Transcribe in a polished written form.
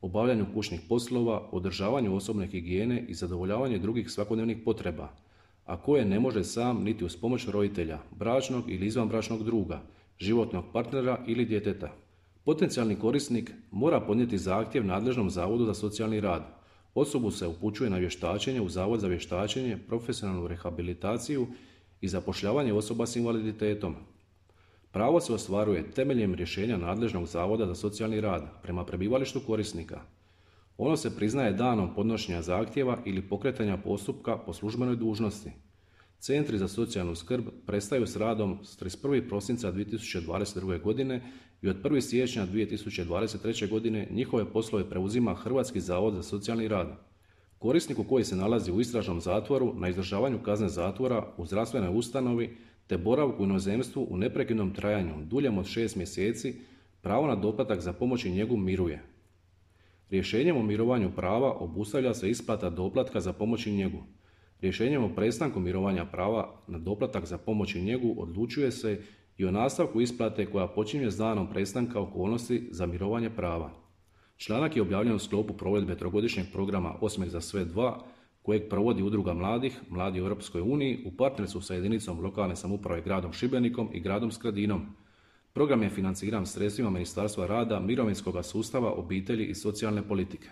obavljanju kućnih poslova, održavanju osobne higijene i zadovoljavanju drugih svakodnevnih potreba, a koje ne može sam niti uz pomoć roditelja, bračnog ili izvanbračnog druga, životnog partnera ili djeteta. Potencijalni korisnik mora podnijeti zahtjev nadležnom Zavodu za socijalni rad. Osobu se upućuje na vještačenje u Zavod za vještačenje, profesionalnu rehabilitaciju i zapošljavanje osoba s invaliditetom. Pravo se ostvaruje temeljem rješenja nadležnog Zavoda za socijalni rad prema prebivalištu korisnika. Ono se priznaje danom podnošenja zahtjeva ili pokretanja postupka po službenoj dužnosti. Centri za socijalnu skrb prestaju s radom s 31. prosinca 2022. godine i od 1. siječnja 2023. godine njihove poslove preuzima Hrvatski zavod za socijalni rad. Korisniku koji se nalazi u istražnom zatvoru, na izdržavanju kazne zatvora, u zdravstvenoj ustanovi te boravku u inozemstvu u neprekidnom trajanju duljem od 6 mjeseci, pravo na doplatak za pomoć i njegu miruje. Rješenjem o mirovanju prava obustavlja se isplata doplatka za pomoć i njegu. Rješenjem o prestanku mirovanja prava na doplatak za pomoć i njegu odlučuje se i o nastavku isplate koja počinje s danom prestanka okolnosti za mirovanje prava. Članak je objavljen u sklopu provedbe trogodišnjeg programa Osmijeh za sve 2, kojeg provodi Udruga mladih, Mladi u Europskoj uniji, u partnerstvu sa jedinicom lokalne samouprave gradom Šibenikom i gradom Skradinom. Program je financiran sredstvima Ministarstva rada, mirovinskog sustava, obitelji i socijalne politike.